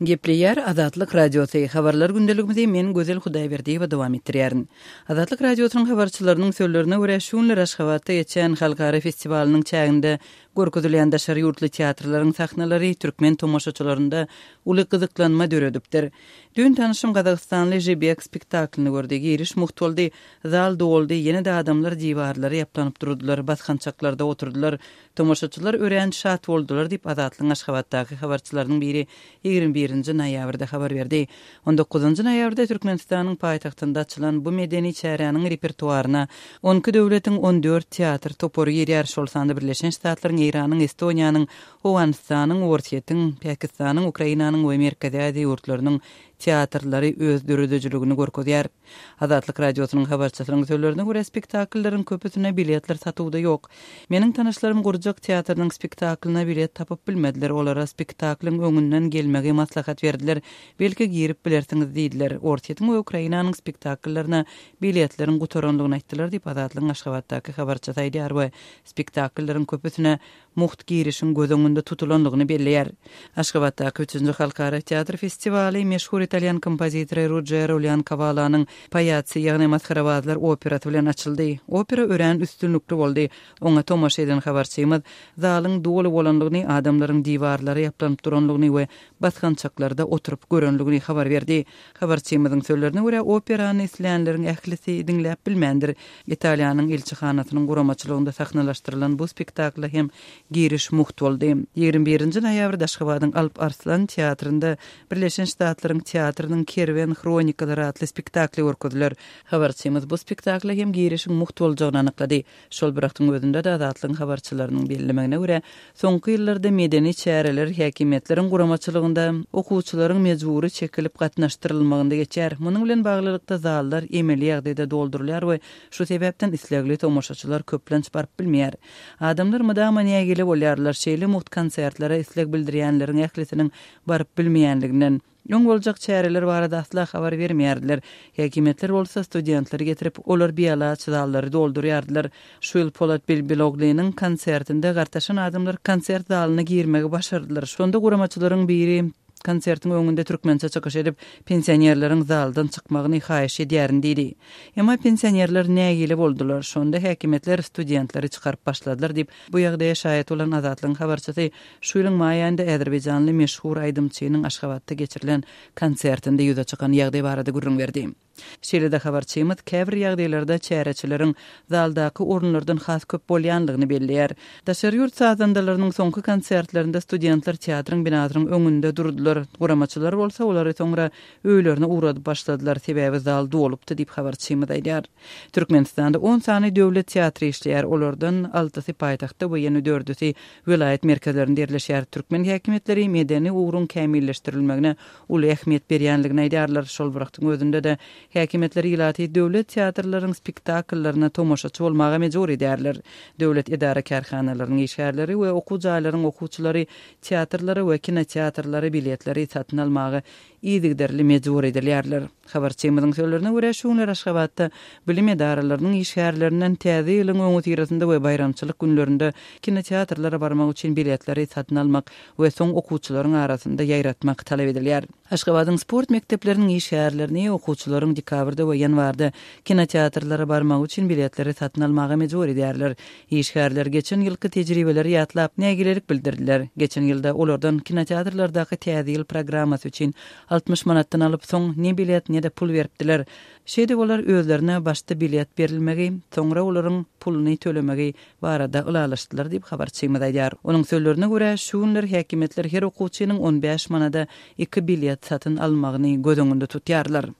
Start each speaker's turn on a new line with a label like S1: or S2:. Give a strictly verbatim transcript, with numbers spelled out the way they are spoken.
S1: Gepleýär Azatlyk Radiosy, Habarlar gündeligimizi men Gözel Hudaýberdiýewa dowam etdirýärin. Azatlyk Radiosynyň habarçylarynyň sözlerine görä, şu günler Aşgabatda geçýän halkara festiwalynyň çäginde görkezilýän daşary ýurtly teatrlaryň sahnalary türkmen tomaşaçylarynda uly gyzyklanma döredipdir. Düýn tanyşym gazagystanly Žibek spektaklyny gördi. Giriş mugt boldy, zal doldy, ýene-de adamlar diwarlara ýaplanyp durdular, basgançaklarda oturdylar. Tomaşaçylar örän şat boldular diýip, Azatlygyň Aşgabatdaky habarçylarynyň biri ýigrimi birinji noýabrda habar berdi. On dokuzynjy noýabrda Türkmenistanyň paýtagtynda açylan bu medeni çäräniň repertuaryna on iki döwletiň on dört teatr topary girýär, şol sanda Birleşen Ştatlaryň, Eýranyň, Estoniýanyň, Owganystanyň, Orsýetiň, Pakistanyň, Ukrainanyň we Merkezi Aziýa ýurtlarynyň teatrlary öz döredijiligini görkezýär. Azatlyk Radiosynyň habarçysynyň sözlerine görä, spektakllaryň köpüsine biletler satuwda ýok. Meniň tanyşlarym gurjak teatrynyň spektaklyna bilet tapyp bilmediler, olara spektaklyň öňünden gelmegi maslahat berdiler, belki girip bilersiňiz diýdiler. Orsýetiň we Ukrainanyň spektakllaryna biletleriň gutaranlygyny aýtdylar diýip, Azatlygyň Aşgabatdaky habarçysy aýdýar we spektakllaryň köpüsine mugt girişiň göz öňünde tutulanlygyny belleýär. Aşgabatdaky üçünji halkara teatr festiwaly meşhur italýan kompozitory Rujero Leonkawalanyň Paýatsy, ýagny Masgarabazlar operasy bilen açyldy. Opera örän üstünlikli boldy. Oňa tomaşa eden habarçymyz zalyň doly bolanlygyny, adamlaryň diwarlara ýaplanyp duranlygyny we basgançaklarda oturyp görenligini habar berdi. Habarçymyzyň sözlerine görä, operany islänleriň ählisi diňläp bilmändir. Italiýanyň ilçihanasynyň guramaçylygynda sahnalaşdyrylan bu spektakla hem giriş mugt boldy. Ýigrimi birinji noýabrda Aşgabadyň Alp Arslan teatrynda Birleşen Ştatlaryň teatrynyň Kerwen hronikalary atly spektakly görkeziler. Habarçymyz bu spektakla hem girişiň mugt boljagyny anyklady. Şol bir wagtyň özünde-de Azatlygyň habarçylarynyň bellemegine görä, soňky ýyllarda medeni çäreler häkimiýetleriň guramaçylygynda okuwçylaryň mejbury çekilip gatnaşdyrylmagynda geçýär. Munuň bilen baglylykda zallar emeli ýagdaýda doldurylýar we şu sebäpden islegli tomaşaçylar köplenç baryp bilmeýär. Adamlar mydama nägile bolýarlar, şeýle mugt konsertlere isleg bildirýänleriň ählisiniň baryp bilmeýänliginden. Öň boljak çäreler barada asla habar bermeýärdiler. Häkimiýetler bolsa studentleri getirip, olar bialaç zallary doldurýardylar. Şu ýyl Polat Bilbiloglynyň konsertinde gartaşan adamlar konsert zalyna girmegi başardylar. Şonda guramaçylaryň biri konsertiň öňünde türkmençe çykyş edip, pensionerleriň zaldan çykmagyny haýyş edýärin diýdi. Emma pensionerler nägile boldular. Şonda häkimiýetler studentleri çykaryp başladylar diýip, bu ýagdaýa şaýat bolan Azatlygyň habarçysy şu ýylyň maý aýynda azerbaýjanly meşhur aýdymçynyň Aşgabatda geçirilen konsertinde ýüze çykan ýagdaý barada gürrüň berdi. Şeýle-de habarçymyz käbir ýagdaýlarda çäreçileriň zaldaky orunlardan has köp bolýanlygyny belleýär. Daşary ýurt sazandalarynyň soňky konsertlerinde studentler teatryň binasynyň öňünde durdular. Guramaçylar bolsa olary soňra öýlerine ugradyp başladylar, sebäbi zal dolupdy diýip habarçymyz aýdýar. Türkmenistanda on sany döwlet teatry işleýär, olardan altysy paýtagtda we ýene dördüsi welaýat merkezlerinde ýerleşýär. Türkmen häkimiýetleri medeni ugruň kämilleşdirilmegine uly ähmiýet berýänligini aýdýarlar. Şol bir wagtyň özünde-de häkimiýetler ilaty döwlet teatrlaryň spektakllaryna tomaşaçy bolmaga mejbur edýärler. Döwlet edara-kärhanalarynyň işgärleri we okuw jaýlaryň okuwçylary teatrlara we kinoteatrlara biletleri satyn almaga yzygiderli mejbur edilýärler. Habarçymyzyň sözlerine görä, şu günler Aşgabatda bilim edaralarynyň işgärlerinden Täze ýylyň öňüsyrasynda we baýramçylyk günlerinde kinoteatrlara barmak üçin biletleri satyn almak we soň okuwçylaryň arasynda ýaýratmak talap edilýär. Aşgabadyň sport mekdepleriniň işgärlerini okuwçylaryň dekabrda we ýanwarda kinoteatrlara barmagy üçin biletleri satyn almaga mejbur edýärler. Işgärler geçen ýylky tejribeleri ýatlap, nägilelik bildirdiler. Geçen ýylda olardan kinoteatrlardaky Täze ýyl programmasy üçin altmyş manatdan alyp, soň ne bilet, ne-de pul beripdiler. Şeýdip olar özlerine başda bilet berilmegi, soňra olaryň puluny tölemegi barada ylalaşdylar diýip, habarçymyz aýdýar. Onuň sözlerine görä, şu günler häkimiýetler her okuwçynyň on bäş manada iki bilet satyn almagyny göz öňünde tutýarlar.